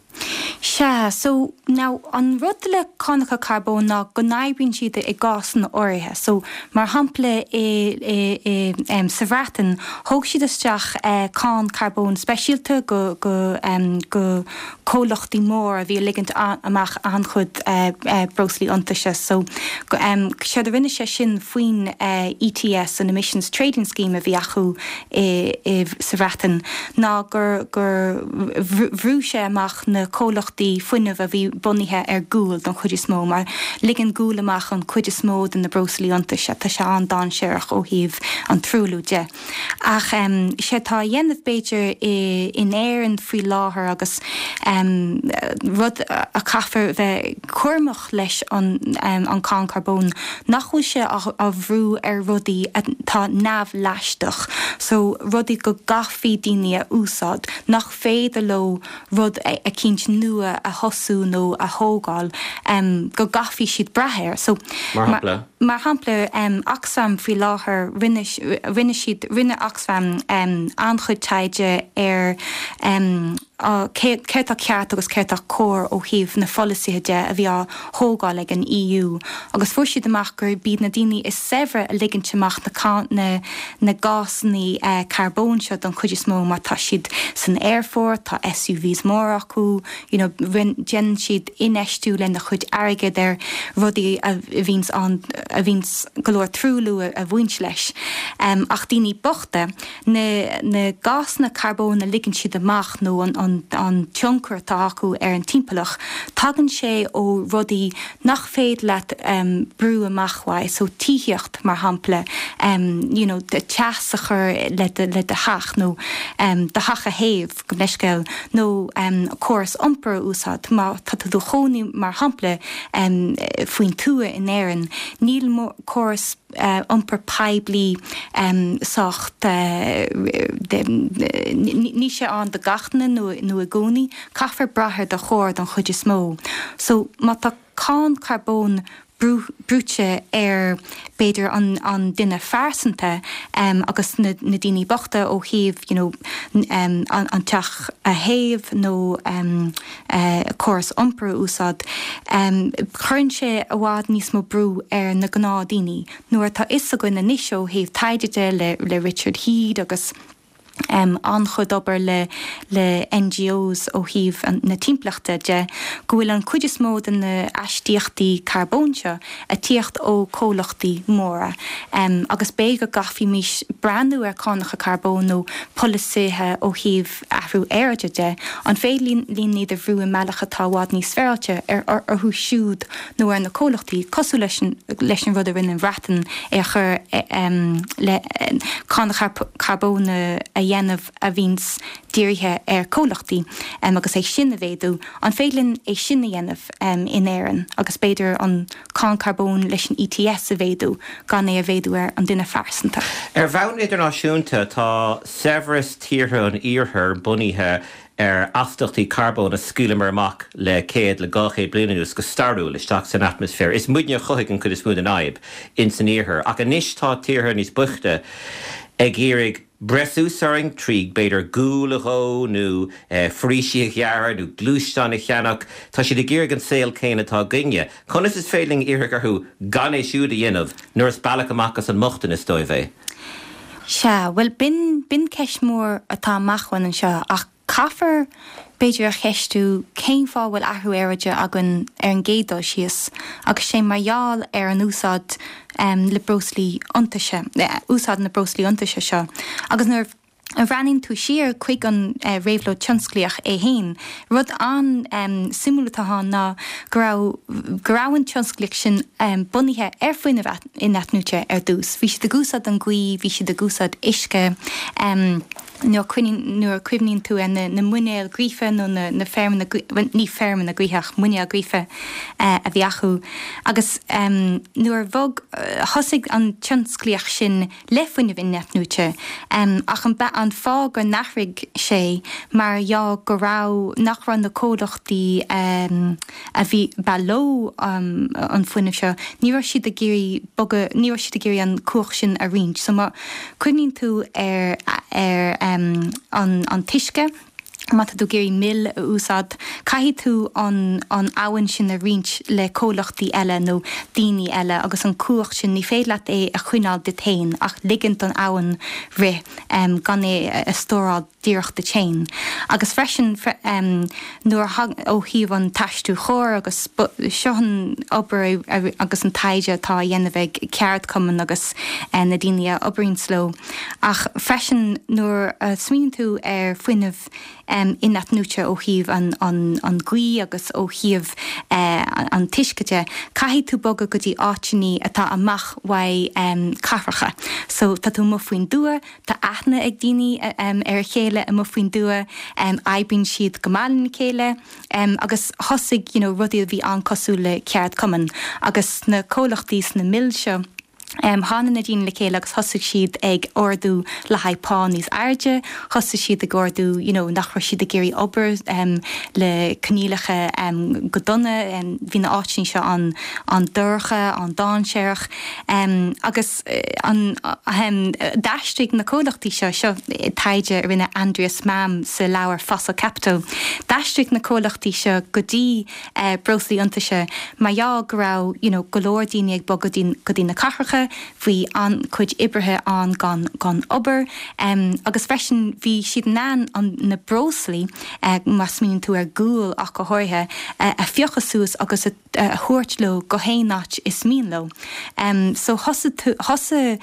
Sea, so now an rud le cánacha carbóin ná go n-oibríonn siad i gcásanna áirithe. So mar shampla i, i, i, um, sa Bhreatain thóg siad isteach uh, cáin carbóin speisialta go, go, um, go comhlachtaí mór a bhí ag ligint amach an-chuid uh, uh, breoslaí iontaise. So go, um, séard a rinne sé sin faoin uh, ETS an Emissions Trading Scheme a bhí acu i, i, sa Bhreatain ná gur, gur bhrú sé amach na comhlachtaí fuinnimh a bhí bunaithe ar ghual don chuid is mó, mar ligeann gual amach an chuid is mó de na breoslaí iontaise tá sé an-dainséarach ó thaobh an truailliú de. Ach um, sé tá á dhéanamh b'fhéidir in Éirinn faoi láthair agus um, rud a caithfear bheith cúramach leis an, um, an cáin carbóin nach bhfuil sé á bhrú ar rudaí atá neamhleachtach, so rudaí go gcaithfidh daoine a úsáid nach féidir leo rud eicínt nua a thosú nó a thógáil um, go gcaithfidh siad brath air. So, Mar shampla? Mar shampla um, Oxfam faoi láthair rinne rinne siad rinne Oxfam um, an-chuid taighde ar um, céard atá ceart agus céard atá cóir ó thaobh na polasaithe de a bhí á thógáil ag an EU. agus fuair siad amach gur b'iad na daoine is saibhre a ligeann amach na, na, na gásanna uh, carbóin seo don chuid is mó mar tá siad san aerfort, tá SUVs mór acu, you know, déanann siad infheistiú lena chuid airgead ar rudaí a bhíonns an a bhíonns go leor truailliú a, a bhaint leis. Um, ach daoine bochta na, na gásanna carbóin a ligeann siad amach nó an, an, an tionchar atá acu ar an timpeallacht, tagann sé ó rudaí nach féidir leat um, brú amach uaidh, so tithíocht mar shampla um, you know, de teas a chur le de, le do theach nó um, do theach a théamh go leisceil nó um, córas iompair a úsáid má tá tú i do chónaí mar shampla um, faoin tuath in Éirinn níl córas uh, iompar poiblí um, sách uh, níl sé ann do gach duine nó nó i gcónaí caithfear brath ar do charr don chuid is mó. So má tá cáin carbóin brúite ar b'fhéidir an, an duine phearsanta um, agus na, na daoine bochta ó thaobh you know, um, an, an teach a théamh nó um, uh, córas iompair a úsáid. Um, Cuireann sé i bhfad níos mó brú ar na gnáthdhaoine, nuair atá a fhios againn anois ó thaobh taighde de le, le Richard Heede agus um, an-chuid obair le le NGOs ó thaobh na timpeallachta de go bhfuil an chuid is mó de na astaíochtaí carbóin seo ag tíocht ó comhlachtaí móra. Um, agus b'fhéidir go gcaithfimis breathnú ar cánacha carbóin nó polasaithe ó thaobh athrú aeráide de, an féidir linn iad a bhrú i mbealach atá i bhfad níos féaráilte ar orthu siúd nó ar na comhlachtaí cosúil leis an, leis an rud a rinne an Bhreatain é a chur um, le cánacha carbóin a dhéanamh a bhíonns dírithe ar comhlachtaí um, agus é sin a mhéadú an féidir linn é sin a dhéanamh um, in Éirinn agus b'fhéidir an cáin carbóin leis an ETS a mhéadú gan é a mhéadú ar an duine phearsanta. Ar bhonn idirnáisiúnta tá saibhreas tíortha an iarthair bunaithe ar astaíochtaí carbóin a scaoileamar amach le céad le dhá chéad bliain anuas go stairiúil isteach san atmaisféar. Is muidne a chothaigh an chuid is mó den fhadhb in san iarthar, ach anois tá tíortha níos boichte ag iarraidh breith suas orainn trí b'fhéidir gual a dhó nó eh, foraoisí a ghearradh nó gluaisteáin a cheannach, Tá siad ag iarraidh an saol céanna atá againne. Conas is féidir linn iarraidh orthu gan é siúd a dhéanamh nuair is bealach amach as an mbochtanas dóibh é. Sea, well b'in b'in ceist mór atá amach anseo ach caithfear b'fhéidir a cheistiú cén fáth bhfuil athrú aeráide againn ar an gcéad dul síos, agus sé mar gheall ar an úsáid um, le breoslaí iontaise, úsáid na breoslaí iontaise seo. Agus nuair a bhreathnaíonn tú siar chuig an uh, réabhlóid tionsclaíoch é féin. Rud an um, suimiúil atá ann ná go raibh go raibh an tionsclaíocht sin um, bunaithe ar fuinneamh in-athnuaite ar dtús. Bhí siad ag úsáid an ghaoth, bhí siad ag úsáid uisce um, nuair nuair a chuimhníonn tú ar na, na muinéil gaoithe nó na, na feirmeanna ní feirmeanna gaoithe ach muinéil gaoithe uh, a bhí acu. Agus um, nuair bhog uh, thosaigh an tionsclaíocht sin le fuinneamh in-athnuaite um, ach an, an fáth gur athraigh sé mar gheall go raibh nach raibh na comhlachtaí um, a bhí ba leo um, an fuinneamh seo, ní raibh siad ag iarraidh bogadh ní raibh siad ag iarraidh an chumhacht sin a roinnt. So má chuimhníonn tú ar ar um, an, an t-uisce, Má tá tú ag iarraidh mil a úsáid, caithfidh tú an an abhainn sin a roinnt le comhlachtaí eile nó daoine eile agus an cumhacht sin, ní féidir leat é a choinneáil duit féin ach ligint don abhainn rith gan é a stóráil díreach duit féin. Agus freisin nuair a ó thaobh an t-aistriú chóir agus seo an obair agus an taighde atá á dhéanamh ag ceardchumainn agus na daoine a oibríonns leo ach freisin nuair a smaoiníonn tú ar fuinneamh in-athnuaite ó thaobh an ghaoth agus ó thaobh an t-uisce de, caithfidh tú bogadh go dtí áiteanna atá amach uaidh cathracha. So tá tú amuigh faoin dtuath, tá aithne ag daoine ar a chéile amuigh faoin dtuath, oibríonn siad go maith lena chéile agus thosaigh you know rudaí a bhí an-cosúil le ceardchumann agus na comhlachtaí sna mills seo, Tháinig na daoine le chéile agus thosaigh siad ag ardú le haghaidh pá níos airde, thosaigh siad ag ardú you know nach raibh siad ag iarraidh obair le coinníollacha go dona, bhí na áiteanna seo an an-dorcha, an-dainséarach agus an d'aistrigh na comhlachtaí seo, seo taighde a rinne Andreas Malm sa leabhar Fossil Capital, d'aistrigh na comhlachtaí seo go dtí breoslaí iontaise mar gheall go raibh you know go leor daoine ag bogadh go dtí na cathracha, bhí an-chuid oibrithe ann gan gan obair agus freisin bhí siad in ann an na breoslaí, má smaoiníonn tú ar ghual ach go háirithe, a phiocadh suas agus a a thabhairt leo go haon áit is mian leo. So thosaigh thosaigh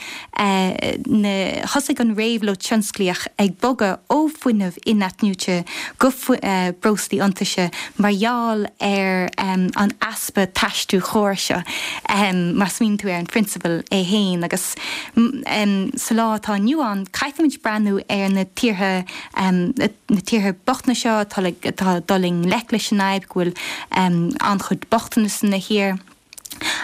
na thosaigh an réabhlóid tionsclaíoch ag bogadh ó fuinneamh in-athnuaite go breoslaí iontaise mar gheall ar an easpa t-aistriú chóir seo, má smaoiníonn tú ar an phrionsabal é féin. Agus sa lá atá inniu ann, caithfimid breathnú ar na tíortha, na tíortha bochtana seo atá ag dul i ngleic leis an fhadhb, go bhfuil an-chuid bochtanas ina thír.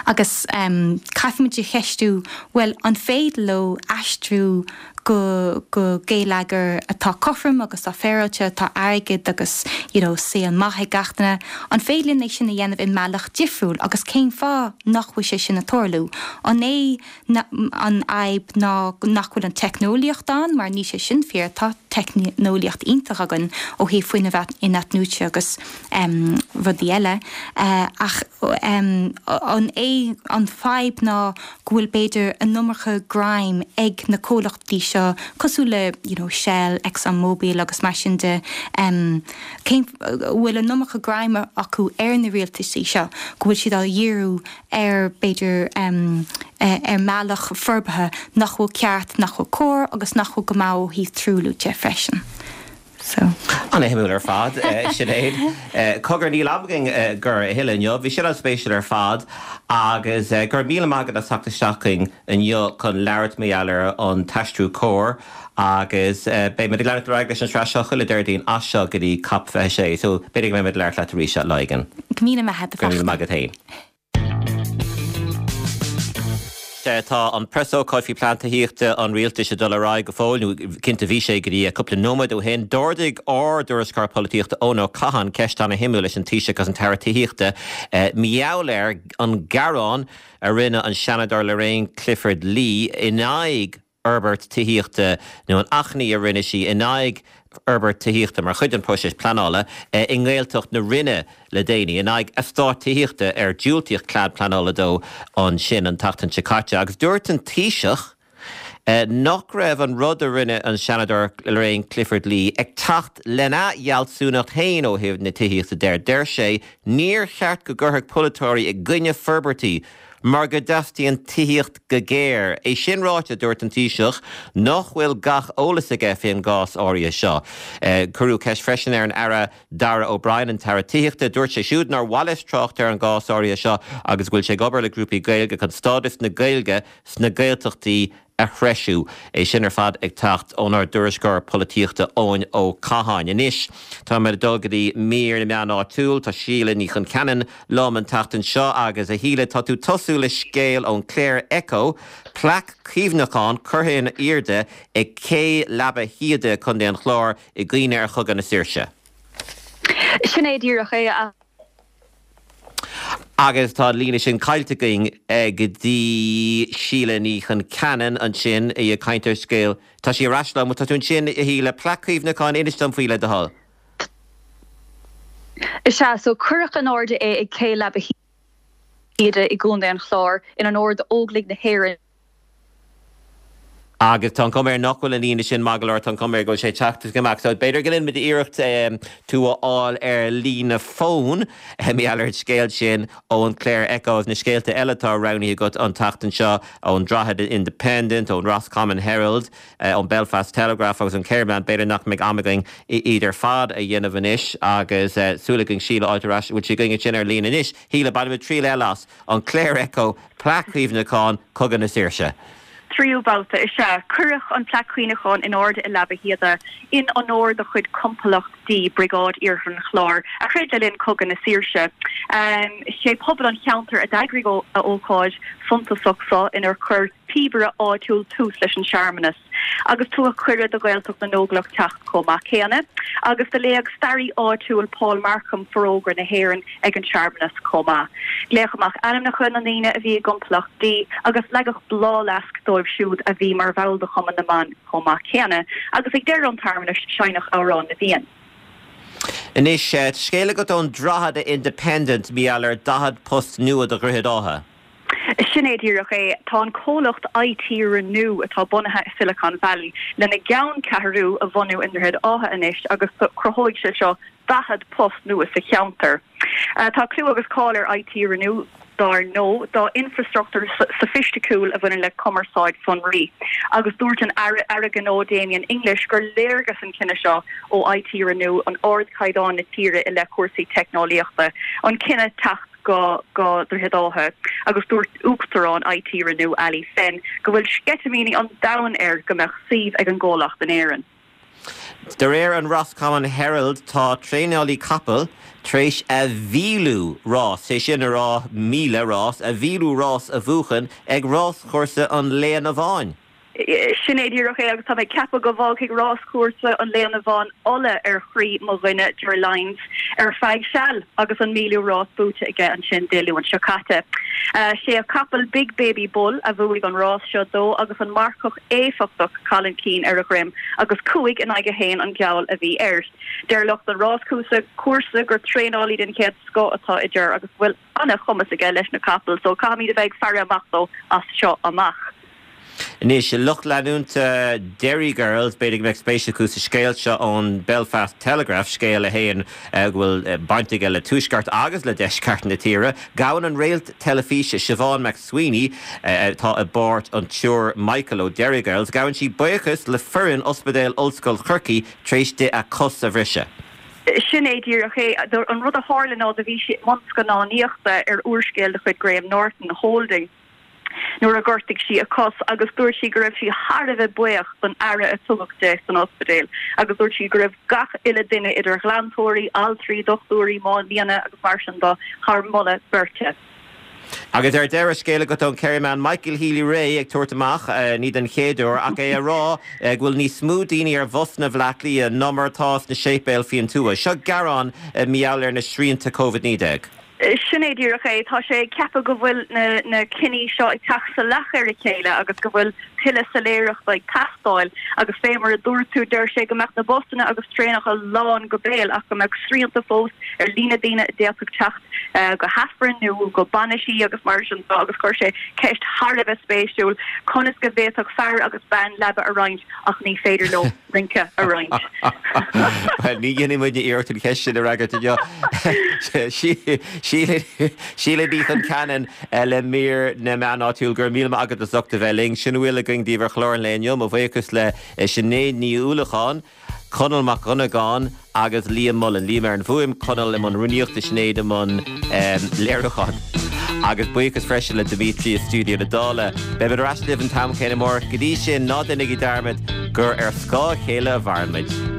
Agus caithfimid a cheistiú, bhuel, an féidir leo aistriú go go geilleagar atá cothrom agus atá féaráilte, atá airgead agus you know saol maith ag gach duine, an féidir linn é sin a dhéanamh i mbealach difriúil agus cén fáth nach bhfuil sé sin ag tarlú? An é an fhadhb ná nach bhfuil an teicneolaíocht ann, mar níl sé sin fíor, tá teicneolaíocht iontach againn ó thaobh fuinneamh in-athnuaite agus rudaí eile, ach an é an fadhb ná go bhfuil b'fhéidir an iomarca greim ag na comhlachtaí seo cosúil le you know Shell, Exxon Mobil agus mar sin de, cén bhfuil an iomarca greim acu ar na rialtaisí seo, go bhfuil siad á dhíriú ar b'fhéidir ar mbealach forbartha nach bhfuil ceart, nach bhfuil cóir agus nach bhfuil go maith ó thaobh truailliú de freisin. So. An-shuimiúil ar fad, Sinéad. Cogar, níl am againn gur a thuilleadh inniu. Bhí sin an-spéisiúil ar fad agus go raibh míle maith agat as teacht isteach chugainn inniu chun labhairt mar gheall ar an t-aistriú cóir agus beidh muid ag leanacht ar aghaidh leis an tsraith seo chuile Déardaoin as seo go dtí Cop fiche sé. So b'fhéidir go mbeidh muid ag labhairt leat arís lá éigin. Go míle maith agat a Go raibh míle maith agat féin. Tá an preasócáid faoi plean tithíochta an rialtais ag dul ar aghaidh go fóill, nó cinnte bhí sé go dtí cúpla nóiméad ó shin. D'ardaigh ár dtuairisceoir polaitíochta Eoin Ó Catháin ceist ana-shuimiúil leis an Taoiseach agus an tAire Tithíochta mar gheall ar an gearán a rinne an Seanadóir Lorraine Clifford-Lee in aghaidh fhorbairt tithíochta nó an achainí a rinne sí in aghaidh fhorbairt tithíochta mar chuid den phróiseas pleanála i nGaeltacht na Rinne le déanaí, in aghaidh eastát tithíochta ar diúltaíodh cead pleanála dó ansin an tseachtain seo caite. Agus dúirt an Taoiseach nach raibh an rud a rinne an Seanadóir Lorraine Clifford-Lee ag teacht lena fhealsúnacht féin ó thaobh na tithíochta de. Deir sé níor cheart go gcuirfeadh polaiteoirí i gcoinne forbairtí mar go dteastaíonn tithíocht go géar. É sin ráite, dúirt an Taoiseach nach bhfuil gach eolas aige faoin gcás áirithe seo. Cuireadh ceist freisin ar an Aire Darragh O'Brien, an tAire Tithíochta. Dúirt sé siúd nár mhaith leis trácht ar an gcás áirithe seo agus go bhfuil sé ag obair le grúpaí Gaeilge chun stádas na Gaeilge sna Gaeltachtaí a threisiú. É sin ar fad ag teacht ónár dtuairisceoir polaitíochta Eoin Ó Catháin. Anois táimid ag dul go dtí mír na meán áitiúil. Tá Síle Ní Choncheanainn liom an tseachtain seo agus a Shíle tá tú ag tosú le scéal ón Clare Echo, plaic cuimhneacháin curtha in airde ag Cé Leaba Shíoda, Contae an Chláir, i gcuimhne ar Chogadh na Saoirse. Sin é díreach é a. Agus tá an líne sin caillte againn go dtí Síle Ní Choncheanainn ansin, í ag caint ar scéal. Tá sí ar ais liom. Tá tú ansin, a Shíle. Plaic cuimhneacháin, inis dom faoi le do thoil. Is ea, so cuireadh in airde é ag Cé Leaba Shíoda i gContae an Chláir in onóir d'Óglaigh na hÉireann. Agus tá an chuma air nach bhfuil an líne sin maith go leor, tá an chuma air go bhfuil sé ag teacht is ag imeacht. So b'fhéidir go ndéanfaimid iarracht tú a fháil ar líne fóin, mar gheall ar an scéal sin ón Clare Echo agus na scéalta eile atá roghnaithe agat an tseachtain seo ón Drogheda Independent, ón Roscommon Herald, ón Belfast Telegraph agus an Kerryman. B'fhéidir nach mbeidh am againn iad ar fad a dhéanamh anois agus súil againn Síle a fháil ar ais. Bhfuil sí againn ansin ar líne anois? Shíle, bainfimid triail eile as an Clare Echo, Plaic Chuimhneacháin, Cogadh na Saoirse. Tríú babhta, is ea. Cuireadh an plaic chuimhneacháin in airde i Leaba Shíoda in onóir do chuid Complacht D, Briogáid Iarthar an Chláir, a throid le linn Cogadh na Saoirse. Sé pobal an cheantair a d'eagraigh a ócáid suntasach seo inar chuir píobaire áitiúil tús leis an searmanas agus tugadh cuireadh do Ghaeltacht na nÓglach teacht chomh maith céanna agus do léigh staraí áitiúil Paul Markham Forógra na hÉireann ag an searmanas chomh maith. Glaodh amach ainmneacha na ndaoine a bhí i gComplacht D agus leagadh bláthfhleasc dóibh siúd a bhí mar bhall de Chumann na mBan chomh maith céanna agus ag deireadh an tsearmanais seinneadh Amhrán na bhFiann. Anois, scéal agat ón Drogheda Independent, mar gheall ar daichead post nua do Dhroichead Átha. Sin é díreach é. Tá an comhlacht IT Renew, atá bunaithe i Silicon Valley, lena gceanncheathrú a bhunú i nDroichead Átha anois agus cruthóidh sé seo daichead post nua sa cheantar. Tá clú agus cáil ar IT Renew, dar ndóigh, dá infreastruchtúr sofaisticiúil a bhaineann le cumarsáid sonraí. Agus dúirt an Aire Gnó Damien English gur léargas an cinneadh seo ó IT Renew an ardchaighdeán na tíre i leith cúrsaí teicneolaíochta, an cinneadh teacht go go Droichead Átha agus dúirt Uachtarán IT Renew Ali Fenn go bhfuil sceitimíní an domhain air go mbeadh suíomh ag an gcomhlacht in Éirinn. De réir an Roscommon Herald tá traenálaí capall tar éis a mhíliú rás, sé sin a rá míle rás, a mhíliú rás a bhuachan ag ráschúrsa an Léana Bháin. Sin é díreach é agus tá mé ag ceapadh go bhfágfaidh ráschúrsa an Léana Bháin ola ar chroí mo dhuine Ger Lyons ar feadh seal agus an míliú rás buaite aige ansin Dé Luain seo caite. Sé a chapall Big Baby Bull a bhuaigh an rás seo dó agus an marcach éifeachtach Colin Keane ar a dhroim agus cúig in aghaidh a haon an geall a bhí air. Deir lucht an ráschúrsa cúrsa gur traenálaí den chéad scoth atá i Ger agus go bhfuil an-chumas aige leis na capaill so caithfimid a bheith ag faire amach dó as seo amach. Anois, lucht leanúnta Derry Girls, b'fhéidir go mbeadh spéis acu sa scéal seo ón Belfast Telegraph, scéal a théann go bhfuil baint aige le tuaisceart agus le deisceart na tíre. Gabhann an réalt teilifíse Siobhán McSweeney, atá i bpáirt an tSiúr Michael ó Derry Girls, gabhann sí buíochas le foireann Ospidéal Ollscoil Chorcaí tar éis di a cos a bhriseadh. Sin é díreach é. An rud a tharla ná do bhí sí i mbun scannánaíochta ar úrscéal de chuid Graham Norton, Holding. nuair a ghortaigh sí a cos agus dúirt sí go raibh sí thar a bheith buíoch don aire a tugadh di san ospidéal agus dúirt sí go raibh gach uile duine idir ghlantóirí, altraí, dochtúirí, máinlianna agus mar sin de thar moladh beirte. Agus ar deireadh, scéal agat ón Kerryman, Michael Healy-Rae ag tabhairt amach, ní den chéad uair, ach é ag rá go bhfuil níos mó daoine ar bhusanna Bhaile Átha Cliath ná mar atá sna séipéil faoin tuath. Seo gearán mar gheall ar na srianta Covid naoi déag. Sin é díreach é. Tá sé ag ceapadh go bhfuil na na cinní seo ag teacht salach ar a chéile agus go bhfuil tuilleadh soiléireachta ag teastáil agus fé mar a dúirt tú, deir sé go mbeadh na busanna agus traenacha lán go béal ach go mbeadh srianta fós ar líon na daoine a d'fhéadfadh teacht go hAifreann nó go bainisí agus mar sin de agus chuir sé ceist thar a bheith spéisiúil, conas go bhféadfadh fear agus bean leaba a roinnt ach ní féidir leo rince a roinnt. Bhuel, ní dhéanfaidh muidne iarracht an cheist sin a fhreagairt inniu. Síle Ní Chonceanainn le mír na meán áitiúil, go raibh míle maith agat as ucht a bheith linn. Sin a bhfuil againn daoibh ar chlár an lae inniu. Mo bhuíochas le Sinéad Ní Uallacháin, Conall Mac Dhonnagáin agus Liam Mullen. Liam ar an bhfuaim, Conall i mbun rúnaíochta, Sinéad i mbun léiriúcháin. Agus buíochas freisin le Dimitri i stiúideo na Dála. Beimid ar ais libh an t-am céanna amárach. Go dtí sin, ná déanaigí dearmad gur ar scáth a chéile a mhaireann muid.